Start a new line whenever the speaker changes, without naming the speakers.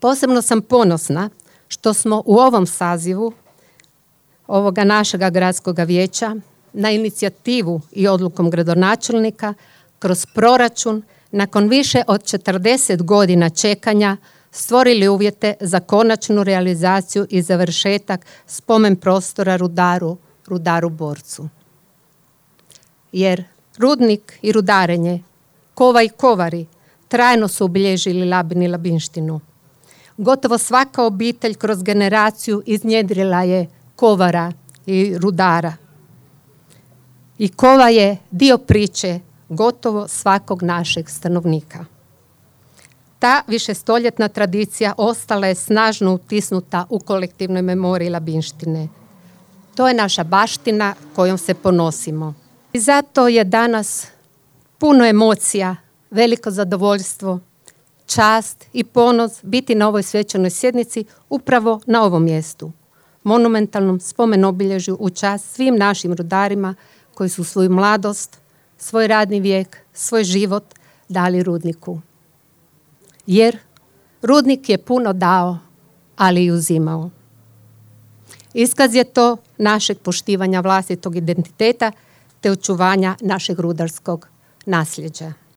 Posebno sam ponosna što smo u ovom sazivu ovoga našega gradskog vijeća na inicijativu i odlukom gradonačelnika kroz proračun nakon više od 40 godina čekanja stvorili uvjete za konačnu realizaciju i završetak spomen prostora Rudaru Borcu. Jer rudnik i rudarenje, kova i kovari trajno su obilježili Labin i Labinštinu. Gotovo svaka obitelj kroz generaciju iznjedrila je kovara i rudara. I kova je dio priče gotovo svakog našeg stanovnika. Ta višestoljetna tradicija ostala je snažno utisnuta u kolektivnoj memoriji Labinštine. To je naša baština kojom se ponosimo. I zato je danas puno emocija, veliko zadovoljstvo, čast i ponos biti na ovoj svečanoj sjednici upravo na ovom mjestu, monumentalnom spomen obilježju u čast svim našim rudarima koji su svoju mladost, svoj radni vijek, svoj život dali rudniku. Jer rudnik je puno dao, ali i uzimao. Iskaz je to našeg poštivanja vlastitog identiteta te očuvanja našeg rudarskog nasljeđa.